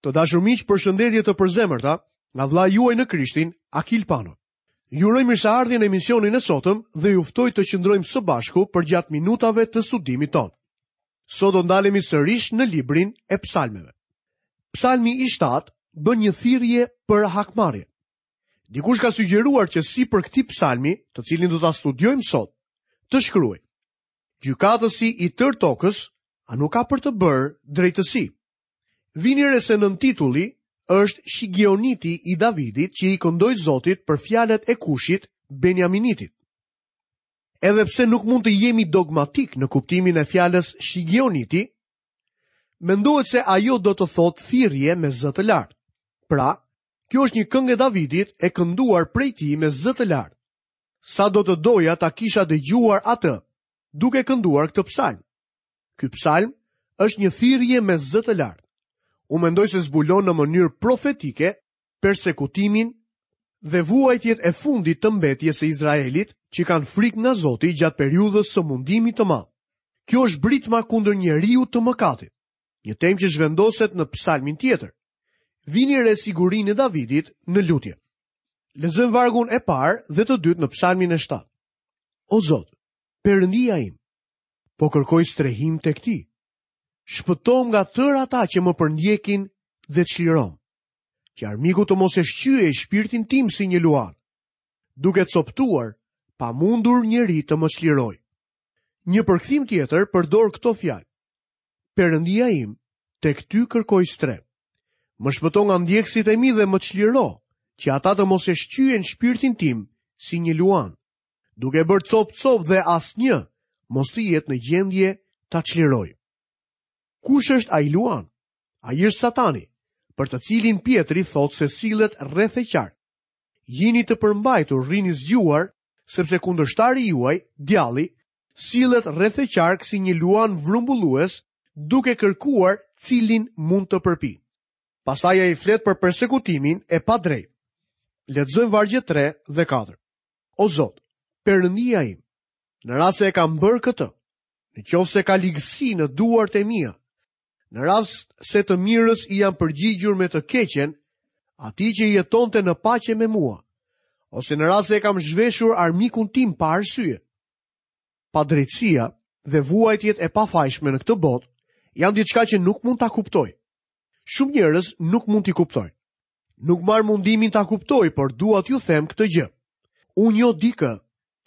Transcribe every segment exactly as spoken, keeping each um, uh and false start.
Të dashur miq, përshëndetje të përzemërta nga vëllai juaj në Krishtin, Akil Pano. Ju uroj mirëseardhjen në emisionin e sotëm dhe ju ftoj të qëndrojmë së bashku përgjatë minutave të studimit tonë. Sot do ndalemi sërish në librin e psalmeve. Psalmi i shtatë bën një thirrje për hakmarrje. Dikush ka sugjeruar që si për këtij psalmi, të cilin do ta studiojmë sot, të shkruaj: Gjykatësi i tërë tokës, a nuk ka për të bërë drejtësi? Vini re se nën titulli është Shigioniti i Davidit që i këndoi Zotit për fjalët e Kushit, Benjaminitit. Edhe pse nuk mund të jemi dogmatik në kuptimin e fjalës Shigioniti, mendohet se ajo do të thotë thirrje me zë të lartë. Pra, kjo është një këngë e Davidit e kënduar prej tij me zë të lartë. Sa do të doja ta kisha dëgjuar atë duke kënduar këtë psalm. Ky psalm është një thirrje me zë të lartë. Unë mendoj se zbulon në mënyrë profetike persekutimin dhe vuajtjet e fundit të mbetjes së Izraelit që kanë frikë nga Zoti gjatë periudhës së mundimit të madh. Kjo është britma kundër njeriu të mëkatit, një temë që zhvendoset në psalmin tjetër. Vini re sigurinë e Davidit në lutje. Lexojmë vargun e parë dhe të dytë në psalmin e shtatë. O Zot, Perëndia im, po kërkoj strehim tek ti. Shpëtom nga tërë ata që më përndjekin dhe çlirom, që armiku të mos e shqyej shpirtin tim si një luan, duke coptuar, pa mundur njeri të më çliroj. Një përkthim tjetër përdor këto fjalë: Perëndia im, tek ty kërkoj strehë. Më shpëto nga ndjekësit e mi dhe më çliro, që ata të mos e shqyejnë shpirtin tim si një luan, duke bërë cop-cop dhe asnjë mos të jetë në gjendje ta çliroj. Kush është ai luan? Ai është Satani, për të cilin Pietri thotë se sillet rreth e qark. Jini të përmbajtur, rrini zgjuar, sepse kundërshtari juaj, djalli, sillet rreth e qark si një luan vrumbullues, duke kërkuar cilin mund të përpi. Pastaj ai flet për persekutimin e padrejtë. Lexojmë vargjet tre dhe katër. O Zot, Perëndia im, në rast se e kam bërë këtë, në qoftë se ka ligësi në duart e mia, në rast se të mirës i jam përgjigjur me të keqen, atij që jetonte në paqe me mua, ose në rast se e kam zhveshur armikun tim pa arsye. Padrejtësia dhe vuajtjet e pafajshme në këtë botë janë diçka që nuk mund ta kuptoj. Shumë njerëz nuk mund t'i kuptojnë. Nuk marr mundimin ta kuptoj, por dua t'ju them këtë gjë. Unë njoh dikë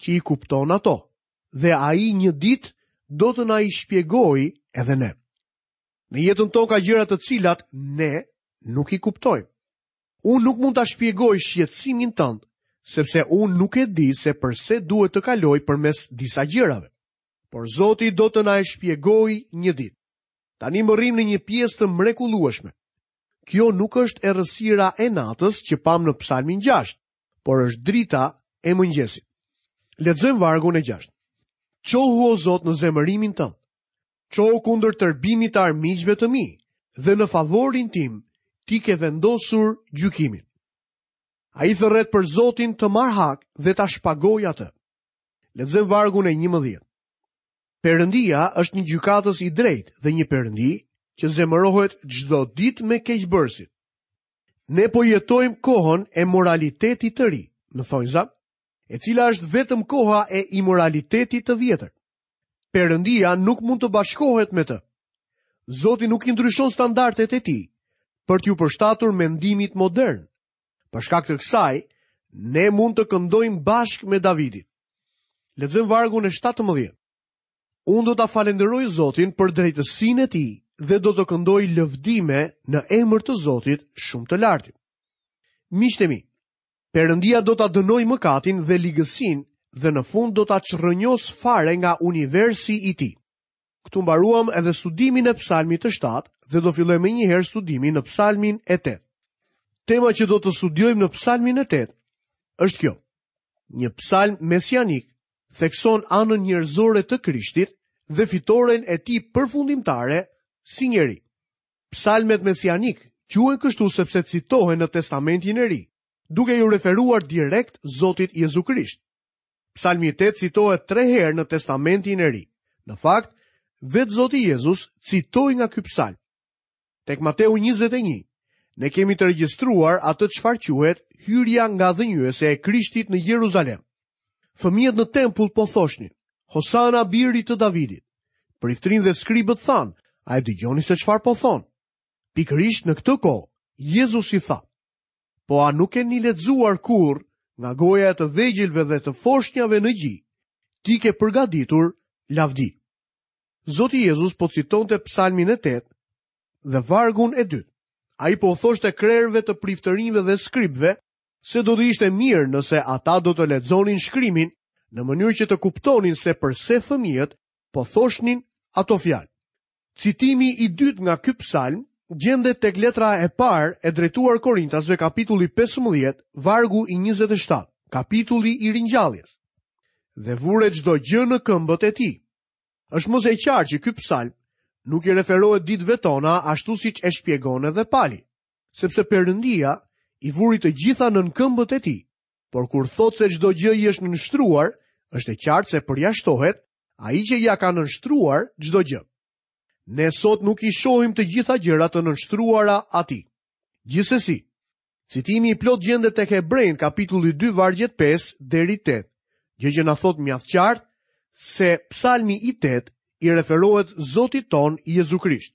që i kupton ato, dhe ai një ditë do të na i shpjegojë edhe ne. Në jetën tonë ka gjëra të cilat ne nuk i kuptojmë. Unë nuk mund ta shpjegoj shqetësimin tënd, sepse unë nuk e di se përse duhet të kaloj përmes disa gjërave. Por Zoti do të na e shpjegojë një ditë. Tani mbërrim në një pjesë të mrekullueshme. Kjo nuk është errësira e natës që pam në psalmin gjashtë, por është drita e mëngjesit. Lexojmë vargun e gjashtë. Çohu o Zot në zemërimin tënd. Çohu kundër tërbimit të armiqve të mi dhe në favorin tim ti ke vendosur gjykimin. Ai thërret për Zotin të marr hak dhe ta shpagoj atë. Lexojmë vargun e njëmbëdhjetë. Perëndia është një gjykatës i drejtë dhe një perëndi që zemërohet çdo ditë me keqbërësit. Ne po jetojmë kohën e moralitetit të ri, në thonjza, e cila është vetëm koha e imoralitetit të vjetër. Perëndia nuk mund të bashkohet me të. Zoti nuk i ndryshon standardet e tij për t'ju përshtatur mendimit modern. Për shkak të kësaj, ne mund të këndojmë bashkë me Davidin. Lexojmë vargun e shtatëmbëdhjetë. Unë do ta falenderoj Zotin për drejtësinë e tij dhe do të këndoj lëvdime në emër të Zotit shumë të lartit. Miqtë e mi, Perëndia do ta dënojë mëkatin dhe ligësinë dhe në fund do ta çrrënjos fare nga universi i tij. Këtu mbaruam edhe studimin e psalmit të shtatë dhe do fillojmë më njëherë studimin në psalmin e tetë. Tema që do të studiojmë në psalmin e tetë është kjo. Një psalm mesianik thekson anën njerëzore të Krishtit dhe fitoren e tij përfundimtare si njeri. Psalmet mesianik quhen kështu sepse citohen në Testamentin e Ri, duke ju referuar direkt Zotit Jezu Krisht. Psalmi tetë citohet tre herë në Testamentin e Ri. Në fakt, vetë Zoti Jezus citoi nga ky psalm. Tek Mateu njëzet e një, Ne kemi të regjistruar atë çfarë quhet hyrja ngadhënjyese e Krishtit në Jeruzalem. Fëmijët në tempull po thoshnin: "Hosana birit të Davidit." Priftërinjtë dhe skribët thanë: "A e dëgjoni se çfarë po thonë?" Pikërisht në këtë kohë, Jezusi tha: "Po a nuk keni lexuar kurrë nga goja e të vegjëlve dhe të foshnjave në gji, ti ke përgatitur lavdi." Zoti Jezus po citonte psalmin e tetë dhe vargun e dytë. Ai po thoshte krerëve të priftërinjve dhe skribëve se do të ishte mirë nëse ata do të lexonin shkrimin në mënyrë që të kuptonin se përse fëmijët po thoshnin ato fjalë. Citimi i dytë nga ky psalm gjendet tek letra e parë e drejtuar Korintasve, kapitulli pesëmbëdhjetë, vargu i njëzet e shtatë, kapitulli i ringjalljes. Dhe vure çdo gjë në këmbët e tij. Është më se e qartë që ky psalm nuk i referohet ditëve tona ashtu siç e shpjegon edhe Pali, sepse Perëndia i vuri të gjitha nën këmbët e tij, por kur thotë se çdo gjë i është nënshtruar, është e qartë se përjashtohet ai që ja ka nënshtruar çdo gjë. Ne sot nuk i shohim të gjitha gjërat të nënshtruara atij. Gjithsesi, citimi i plot gjendet tek Hebrejt kapitulli dy vargjet pesë deri tetë, gjë që na thot mjaft qartë se psalmi i tetë i referohet Zotit ton Jezu Krisht.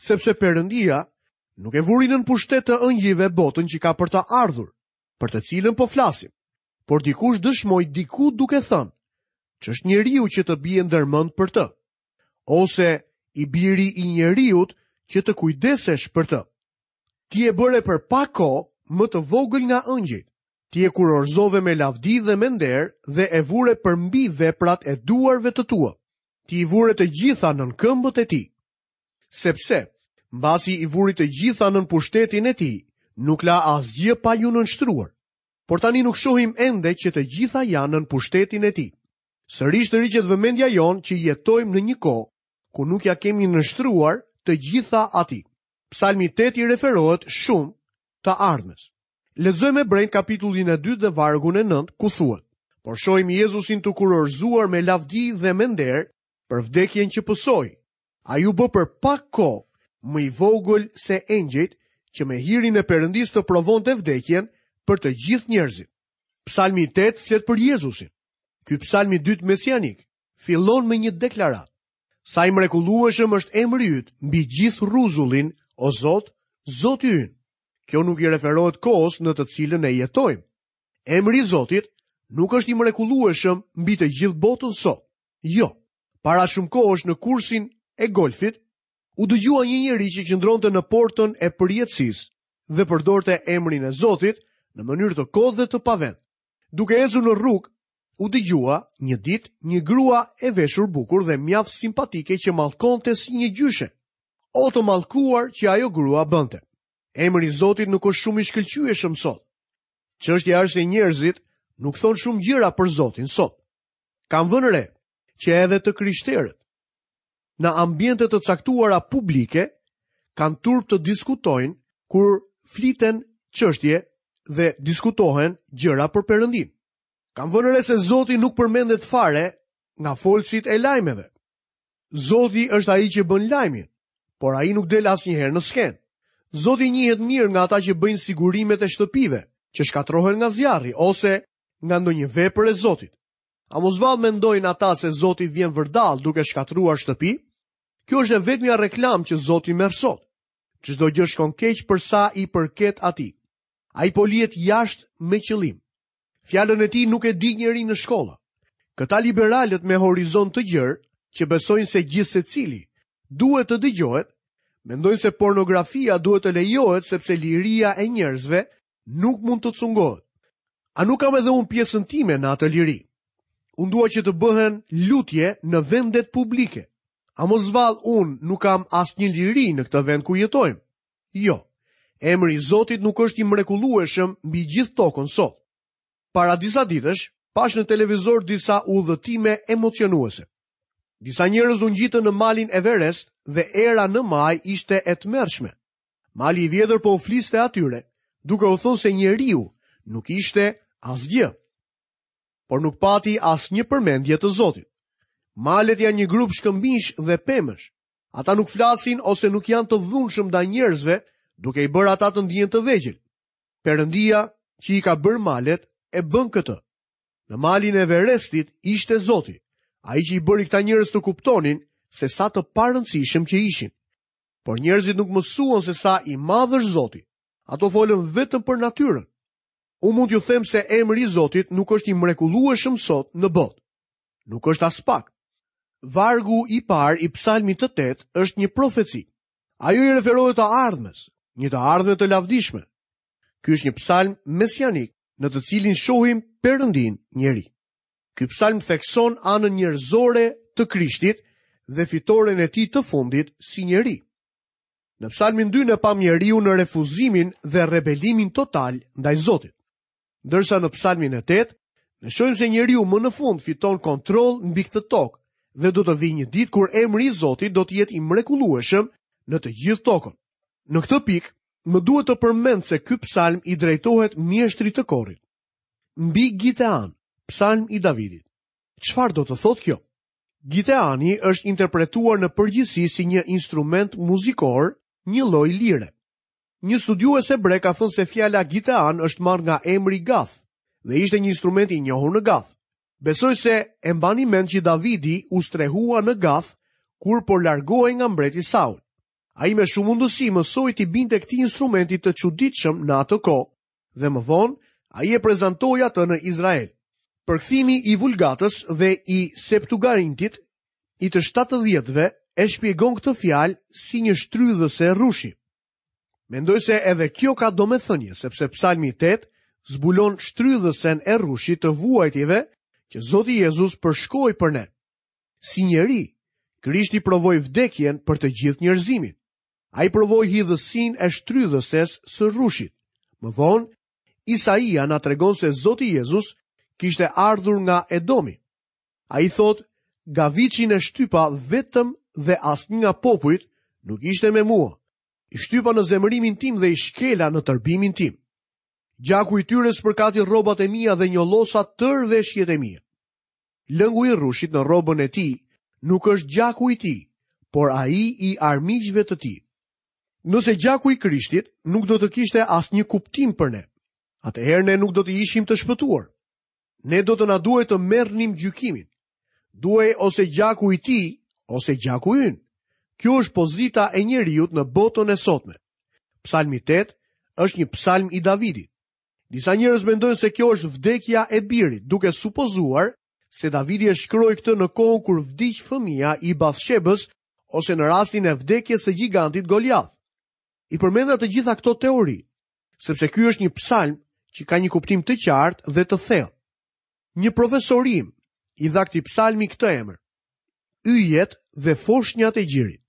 Sepse Perëndia nuk e vuri nën pushtet të ëngjëjve botën që ka për të ardhur, për të cilën po flasim, por dikush dëshmoi diku duke thënë, ç'është njeriu që të bie ndërmend për të, ose i biri i njeriut që të kujdesesh për të. Ti e bëre për pak kohë më të vogël nga ëngjëjt. Ti e kurorzove me lavdi dhe me nder dhe e vure përmbi veprat e duarve të tua. Ti i vure të gjitha nën këmbët e tij. Sepse, mbasi i vuri të gjitha nën pushtetin e tij, nuk la asgjë pa ju nënshtruar. Por tani nuk shohim ende që të gjitha janë nën pushtetin e tij. Sërish të riqet vëmendja jonë që jetojmë në një kohë ku nuk ja kemi nënshtruar të gjitha atij. Psalmi tetë i referohet shumë të ardhmes. Lexojmë Hebrejt kapitullin e dytë dhe vargun e nëntë ku thuhet: Por shohim Jezusin të kurorzuar me lavdi dhe me nder për vdekjen që pësoi. Ai u bë për pak kohë më i vogël se engjëjt, që me hirin e Perëndisë të provonte vdekjen për të gjithë njerëzit. Psalmi tetë flet për Jezusin. Ky psalm i dytë mesianik fillon me një deklaratë. Sa i mrekullueshëm është emri yt mbi gjithë rruzullin, o Zot, Zoti ynë. Kjo nuk i referohet kohës në të cilën ne jetojmë. Emri i Zotit nuk është i mrekullueshëm mbi të gjithë botën sot. Jo, para shumë kohësh në kursin e golfit, u dëgjua një njeri që qëndronte në portën e përjetësisë dhe përdorte emrin e Zotit në mënyrë të kotë dhe të pavend. Duke ecur në rrugë, u dëgjua një ditë një grua e veshur bukur dhe mjaft simpatike që mallkonte si një gjyshe. O të mallkuar që ajo grua bënte. Emri i Zotit nuk është shumë i shkëlqyeshëm sot. Çështja është se njerëzit nuk thonë shumë gjëra për Zotin sot. Kam vënë re që edhe të krishterët në ambiente të caktuara publike kanë turp të diskutojnë kur fliten çështje dhe diskutohen gjëra për Perëndin. Kam vënë re se Zoti nuk përmendet fare nga folësit e lajmeve. Zoti është ai që bën lajmin, por ai nuk del asnjëherë në skenë. Zoti njihet mirë nga ata që bëjnë sigurimet e shtëpive, që shkatërrohen nga zjarri ose nga ndonjë vepër e Zotit. A mos vallë mendojnë ata se Zoti vjen vërdall duke shkatërruar shtëpi? Kjo është e vetmja reklam që Zoti merr sot. Çdo gjë shkon keq për sa i përket atij. Ai po lihet jashtë me qëllim. Fjalën e tij nuk e di njeri në shkolla. Këta liberalët me horizont të gjerë, që besojnë se gjithsecili duhet të dëgjohet, mendojnë se pornografia duhet të lejohet sepse liria e njerëzve nuk mund të cungohet. A nuk kam edhe unë pjesën time në atë liri? Unë dua që të bëhen lutje në vendet publike. A mos vallë unë nuk kam asnjë liri në këtë vend ku jetojmë? Jo, emri i Zotit nuk është i mrekullueshëm mbi gjithë tokën sot. Para disa ditësh, pash në televizor disa udhëtime emocionuese. Disa njerëz u ngjitën në malin Everest dhe era në maj ishte e tmerrshme. Mali i vjetër po u fliste atyre, duke u thënë se njeriu nuk ishte asgjë, por nuk pati asnjë përmendje të Zotit. Malet janë një grup shkëmbinjsh dhe pemësh. Ata nuk flasin ose nuk janë të dhunshëm ndaj njerëzve, duke i bërë ata të ndihen të vegjël. Perëndia që i ka bërë malet e bën këtë. Në malin e Everestit ishte Zoti, ai që i bëri këta njerëz të kuptonin se sa të parëndësishëm që ishin. Por njerëzit nuk mësuan se sa i madh është Zoti. Ato folën vetëm për natyrën. Unë mund t'ju them se emri i Zotit nuk është i mrekullueshëm sot në botë. Nuk është as pak. Vargu i parë i psalmit të tetë është një profeci. Ajo i referohet të ardhmes, një të ardhme të lavdishme. Ky është një psalm mesianik në të cilin shohim Perëndin njeri. Ky psalm thekson anën njerëzore të Krishtit dhe fitoren e tij të fundit si njeri. Në psalmin dy ne pam njeriu në refuzimin dhe rebelimin total ndaj Zotit. Ndërsa në psalmin e tetë, ne shohim se njeriu më në fund fiton kontroll mbi këtë tokë dhe do të vijë një ditë kur emri i Zotit do të jetë i mrekullueshëm në të gjithë tokën. Në këtë pikë, më duhet të përmend se ky psalm i drejtohet mjeshtrit të korit. Mbi Gitean, psalm i Davidit. Çfarë do të thotë kjo? Giteani është interpretuar në përgjithësi si një instrument muzikor, një lloj lire. Një studiues hebre ka thënë se fjala Gitean është marrë nga emri Gath dhe ishte një instrument i njohur në Gath. Besoj se e mbani mend që Davidi u strehua në Gath kur po largohej nga mbreti Saul. Ai me shumë mundësi mësoi t'i binte këtij instrumenti të çuditshëm në atë kohë dhe më vonë ai e prezantoi atë në Izrael. Përkthimi i Vulgatës dhe i Septuagintit i të shtatëdhjetëve e shpjegon këtë fjalë si një shtrydhëse rrushi. Mendoj se edhe kjo ka domethënie, sepse psalmi tetë zbulon shtrydhësen e rrushit të vuajtjeve që Zoti Jezus përshkoi për ne. Si njeri, Krishti provoi vdekjen për të gjithë njerëzimin. Ai provoi hidhësinë e shtrydhëses së rrushit. Më vonë, Isaia na tregon se Zoti Jezus kishte ardhur nga Edomi. Ai thotë, gaviçin e shtypa vetëm dhe asnjë nga popujt nuk ishte me mua. I shtypa në zemërimin tim dhe i shkela në tërbimin tim. Gjaku i tyre spërkati rrobat e mia dhe njollosa tërë veshjet e mia. Lëngu i rrushit në rrobën e tij nuk është gjaku i tij, por ai i armiqve të tij. Nëse gjaku i Krishtit nuk do të kishte asnjë kuptim për ne, atëherë ne nuk do të ishim të shpëtuar. Ne do të na duhej të merrnim gjykimin. Duhej ose gjaku i tij, ose gjaku ynë. Kjo është pozita e njeriut në botën e sotme. Psalmi tetë është një psalm i Davidit. Disa njerëz mendojnë se kjo është vdekja e birit, duke supozuar se Davidi e shkroi këtë në kohën kur vdiq fëmia i Bathshebës ose në rastin e vdekjes së gjigantit Goliath. I përmenda të gjitha këto teori, sepse ky është një psalm që ka një kuptim të qartë dhe të thellë. Një profesor im i dha këtij psalmi këtë emër: Yjet dhe foshnjat e gjirit.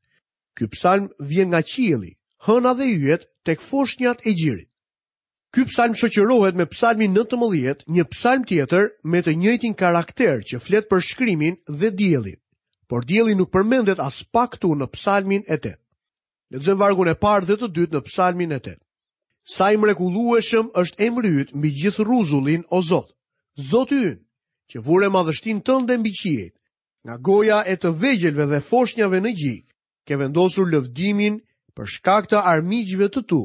Ky psalm vjen nga qielli, hëna dhe yjet tek foshnjat e gjirit. Ky psalm shoqërohet me psalmin nëntëmbëdhjetë, një psalm tjetër me të njëjtin karakter që flet për shkrimin dhe diellin. Por dielli nuk përmendet as pak këtu në psalmin e tetë. Lexojmë vargun e parë dhe të dytë në psalmin e tetë. Sa i mrekullueshëm është emri yt mbi gjithë rruzullin, o Zot, Zoti ynë, që vure madhështinë tënde mbi qiejt, nga goja e të vegjëlve dhe foshnjave në gji, ke vendosur lëvdimin për shkak të armiqve të tu,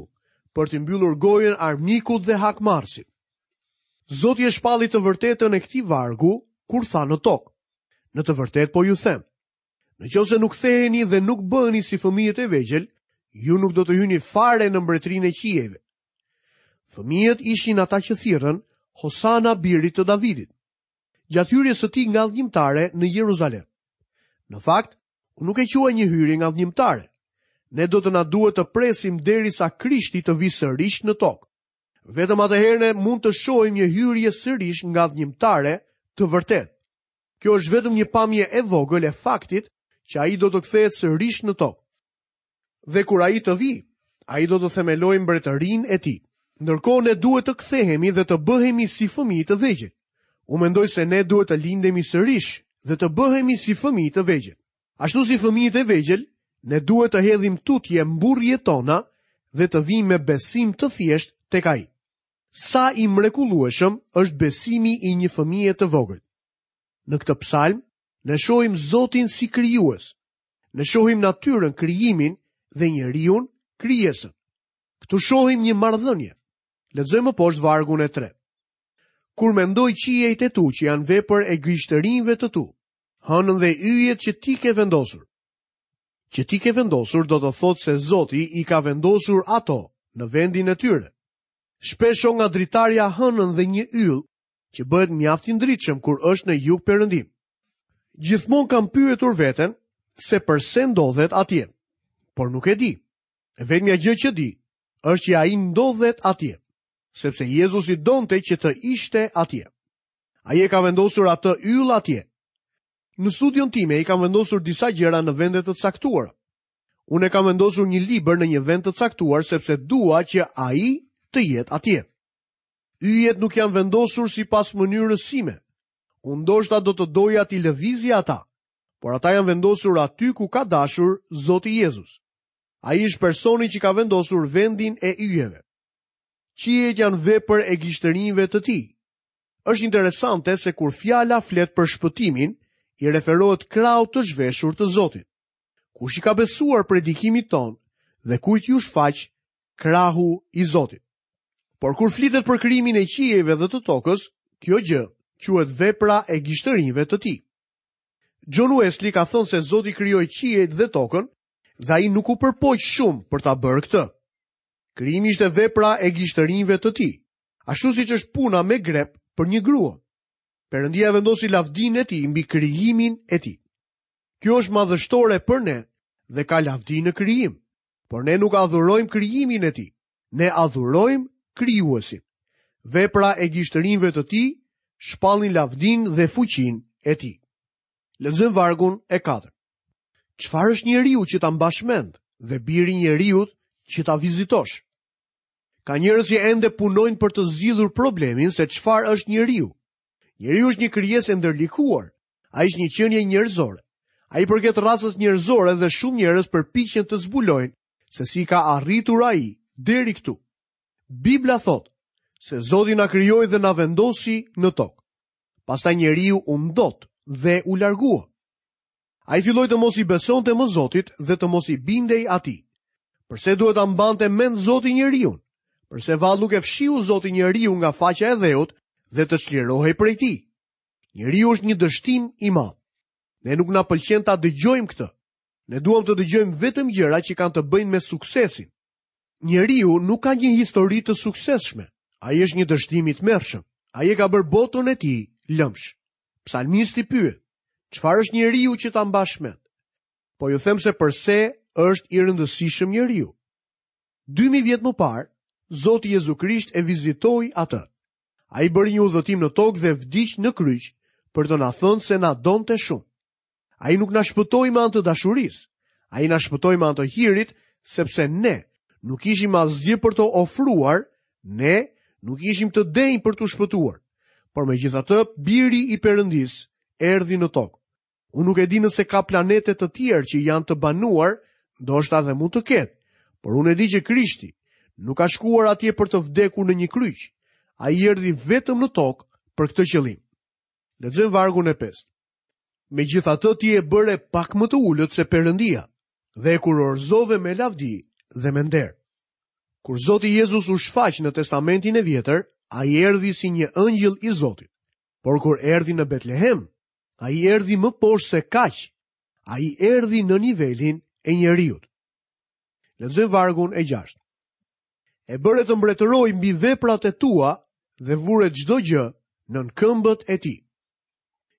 për t'i mbyllur gojën armikut dhe hakmarrësit. Zoti e shpalli të vërtetën e këtij vargu kur tha në tokë: Në të vërtetë po ju them, në qoftë se nuk ktheheni dhe nuk bëheni si fëmijët e vegjël, ju nuk do të hyni fare në mbretërinë e qiejve. Fëmijët ishin ata që thirrën Hosana birit të Davidit, gjatë hyrjes së tij ngadhënjimtare në Jeruzalem. Në fakt, unë nuk e quaj një hyrje ngadhënjimtare. Ne do të na duhet të presim derisa Krishti të vijë sërish në tokë. Vetëm atëherë ne mund të shohim një hyrje sërish ngadhënjimtare të vërtetë. Kjo është vetëm një pamje e vogël e faktit që ai do të kthehet sërish në tokë. Dhe kur ai të vijë, ai do të themelojë mbretërinë e tij. Ndërkohë ne duhet të kthehemi dhe të bëhemi si fëmijë të vegjël. Unë mendoj se ne duhet të lindemi sërish dhe të bëhemi si fëmijë të vegjël. Ashtu si fëmijët e vegjël, ne duhet të hedhim tutje mburrjet tona dhe të vijmë me besim të thjeshtë tek ai. Sa i mrekullueshëm është besimi i një fëmije të vogël. Në këtë psalm, ne shohim Zotin si krijues. Ne shohim natyrën, krijimin dhe njeriun, krijesën. Këtu shohim një marrëdhënie. Lexojmë më poshtë vargun e tretë. Kur mendoj qiejt e tu që janë vepër e gishtërinjve të tu, hënën dhe yjet që ti ke vendosur. Që ti ke vendosur do të thotë se Zoti i ka vendosur ato në vendin e tyre. Shpesh shoh nga dritarja hënën dhe një yll që bëhet mjaft i ndritshëm kur është në jug perëndim. Gjithmonë kam pyetur veten se përse ndodhet atje, por nuk e di. E vetmja gjë që di është që ai ndodhet atje, sepse Jezusi donte që të ishte atje. Ai e ka vendosur atë yll atje. Në studion time i kam vendosur disa gjëra në vende të caktuara. Unë e kam vendosur një libër në një vend të caktuar sepse dua që ai të jetë atje. Yjet nuk janë vendosur sipas mënyrës sime. Unë ndoshta do të doja t'i lëvizja ata, por ata janë vendosur aty ku ka dashur Zoti Jezus. Ai është personi që ka vendosur vendin e yjeve. Qiejt janë vepër e gishtërinjve të tij. Është interesante se kur fjala flet për shpëtimin, i referohet krahut të zhveshur të Zotit. Kush i ka besuar predikimit ton dhe kujt ju shfaq krahu i Zotit? Por kur flitet për krijimin e qiejve dhe të tokës, kjo gjë quhet vepra e gishtërinjve të tij. John Wesley ka thënë se Zoti krijoi qiejt dhe tokën dhe ai nuk u përpoq shumë për ta bërë këtë. Krijimi ishte vepra e gishtërinjve të tij, ashtu siç është puna me grep për një grua. Perëndia vendosi lavdinë e tij mbi krijimin e tij. Kjo është madhështore për ne dhe ka lavdi në krijim, por ne nuk adhurojmë krijimin e tij. Ne adhurojmë krijuesin. Vepra e gishtërinjve të tij shpallin lavdinë dhe fuqinë e tij. Lexojmë vargun e katërt. Çfarë është njeriu që ta mbash mend dhe biri njeriut që ta vizitosh? Ka njerëz që ende punojnë për të zgjidhur problemin se çfarë është njeriu. Njeriu është një krijesë e ndërlikuar. Ai është një qenie njerëzore. Ai përket racës njerëzore dhe shumë njerëz përpiqen të zbulojnë se si ka arritur ai deri këtu. Bibla thotë se Zoti na krijoi dhe na vendosi në tokë. Pastaj njeriu u ndot dhe u largua. Ai filloi të mos i besonte më Zotit dhe të mos i bindej atij. Përse duhet ta mbante mend Zoti njeriun? Përse vallë nuk e fshiu Zoti njeriu nga faqja e dheut dhe të çlirohej prej tij? Njeriu është një dështim i madh. Ne nuk na pëlqen ta dëgjojmë këtë. Ne duam të dëgjojmë vetëm gjëra që kanë të bëjnë me suksesin. Njeriu nuk ka një histori të suksesshme. Ai është një dështim i tmerrshëm. Ai e ka bërë botën e tij lëmsh. Psalmisti pyet: çfarë është njeriu që ta mbash mend? Po ju them se përse është i rëndësishëm njeriu. dy mijë vjet më parë, Zoti Jezu Krisht e vizitoi atë. Ai bëri një udhëtim në tokë dhe vdiq në kryq për të na thënë se na donte shumë. Ai nuk na shpëtoi me anë të dashurisë. Ai na shpëtoi me anë të hirit, sepse ne nuk ishim asgjë për të ofruar, ne nuk ishim të denjë për t'u shpëtuar. Por megjithatë, biri i Perëndisë erdhi në tokë. Unë nuk e di nëse ka planete të tjerë që janë të banuar, ndoshta edhe mund të ketë, por unë e di që Krishti nuk ka shkuar atje për të vdekur në një kryq. Ai erdhi vetëm në tokë për këtë qëllim. Lexojmë vargun e pestë. Megjithatë ti e bëre pak më të ulët se Perëndia dhe e kurorëzove me lavdi dhe me nder. Kur Zoti Jezus u shfaq në Testamentin e Vjetër, ai erdhi si një ëngjëll i Zotit. Por kur erdhi në Betlehem, ai erdhi më poshtë se kaq. Ai erdhi në nivelin e njeriut. Lexojmë vargun e gjashtë. E bëre të mbretëroj mbi veprat e tua dhe vure çdo gjë nën këmbët e tij.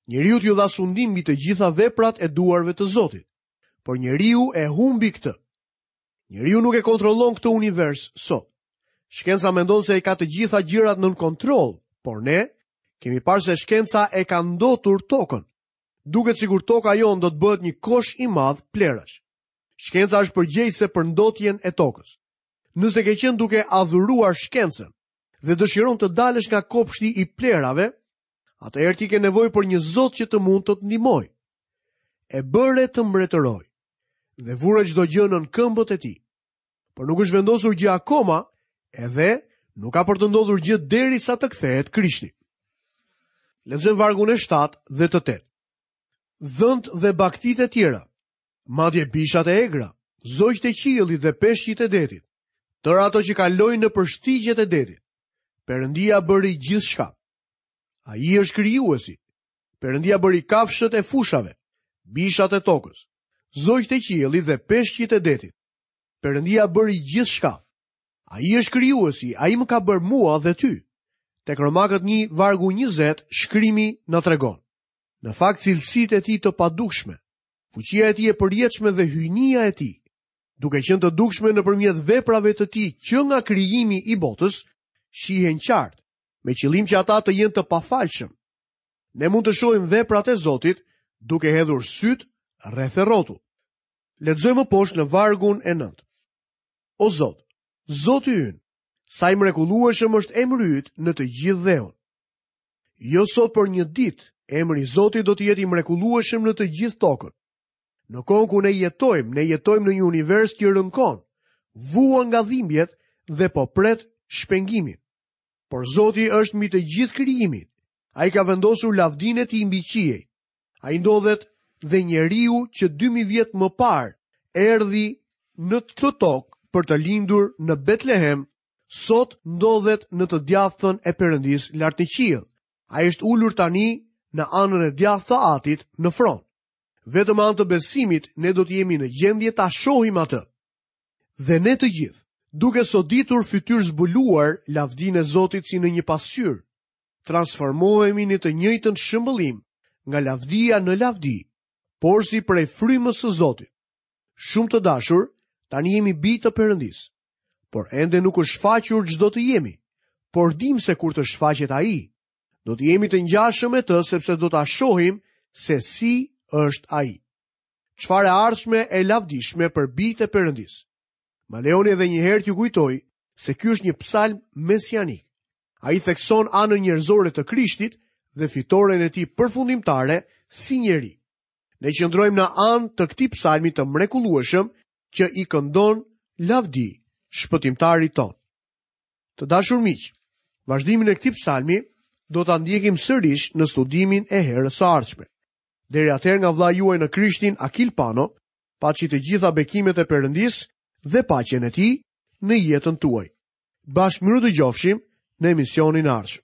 Njeriu ju dha sundim mbi të gjitha veprat e duarve të Zotit, por njeriu e humbi këtë. Njeriu nuk e kontrollon këtë univers sot. Shkenca mendon se i ka të gjitha gjërat nën kontroll, por ne kemi parë se shkenca e ka ndotur tokën. Duket sikur toka jonë do të bëhet një kosh i madh plerash. Shkenca është përgjegjëse për ndotjen e tokës. Nëse ke qenë duke adhuruar shkencën dhe dëshiron të dalësh nga kopshti i plerave, atëherë ti ke nevojë për një Zot që të mund të të ndihmojë. E bëre të mbretëroj dhe vure çdo gjë nën këmbët e tij. Por nuk është vendosur gjë akoma, edhe nuk ka për të ndodhur gjë derisa të kthehet Krishti. Lexojmë vargun e shtatë dhe të tetë. Dhënt dhe baktitë e tjera, madje bishat e egra, zogjtë e qiellit dhe peshqit e detit, tërë ato që kalojnë nëpër shtigjet e detit. Perëndia bëri gjithçka. Ai është krijuesi. Perëndia bëri kafshët e fushave, bishat e tokës, zogjtë e qiellit dhe peshqit e detit. Perëndia bëri gjithçka. Ai është krijuesi, ai më ka bërë mua dhe ty. Tek Romakët një vargu njëzet, shkrimi na tregon. Në fakt cilësitë e tij të padukshme, fuqia e tij e përjetshme dhe hyjnia e tij, duke qenë të dukshme nëpërmjet veprave të tij që nga krijimi i botës, shihen qartë, me qëllim që ata të jenë të pafalshëm. Ne mund të shohim veprat e Zotit duke hedhur syt rreth e rrotull. Lexojmë poshtë në vargun e nëntë. O Zot, Zoti ynë, sa i mrekullueshëm është emri yt në të gjithë dheun. Jo sot por një ditë, emri i Zotit do të jetë i mrekullueshëm në të gjithë tokën. Në kohën ku ne jetojmë, ne jetojmë në një univers që rënkon, vuan nga dhimbjet dhe po pret shpengimin. Por Zoti është mbi të gjithë krijimin. Ai ka vendosur lavdinë e tij mbi qiej. Ai ndodhet dhe njeriu që dy mijë vjet më parë erdhi në këtë tokë për të lindur në Betlehem, sot ndodhet në të djathtën e Perëndisë lart në qiell. Ai është ulur tani në anën e djathtë të Atit në fron. Vetëm me anë të besimit ne do të jemi në gjendje ta shohim atë. Dhe ne të gjithë, duke soditur fytyrë zbuluar lavdinë e Zotit si në një pasqyrë, transformohemi në të njëjtën shëmbëllim nga lavdia në lavdi, por si prej frymës së Zotit. Shumë të dashur, tani jemi bij të Perëndisë, por ende nuk është shfaqur ç'do të jemi, por dim se kur të shfaqet Ai, do të jemi të ngjashëm me të, sepse do ta shohim se si është Ai. Çfarë e ardhshme e lavdishme për bijtë e Perëndisë. Ma lejoni edhe një herë t'ju kujtoj se ky është një psalm mesianik. Ai thekson anën njerëzore të Krishtit dhe fitoren e tij përfundimtare si njeri. Ne qëndrojmë në anë të këtij psalmi të mrekullueshëm që i këndon lavdi shpëtimtarit ton. Të dashur miq, vazhdimin e këtij psalmi do ta ndjekim sërish në studimin e herës së ardhshme. Deri atëherë nga vëllai juaj në Krishtin, Akil Pano, paçi të gjitha bekimet e Perëndisë dhe paqen e tij në jetën tuaj. Bashkë mirë dëgjofshim në emisionin e ardhshëm.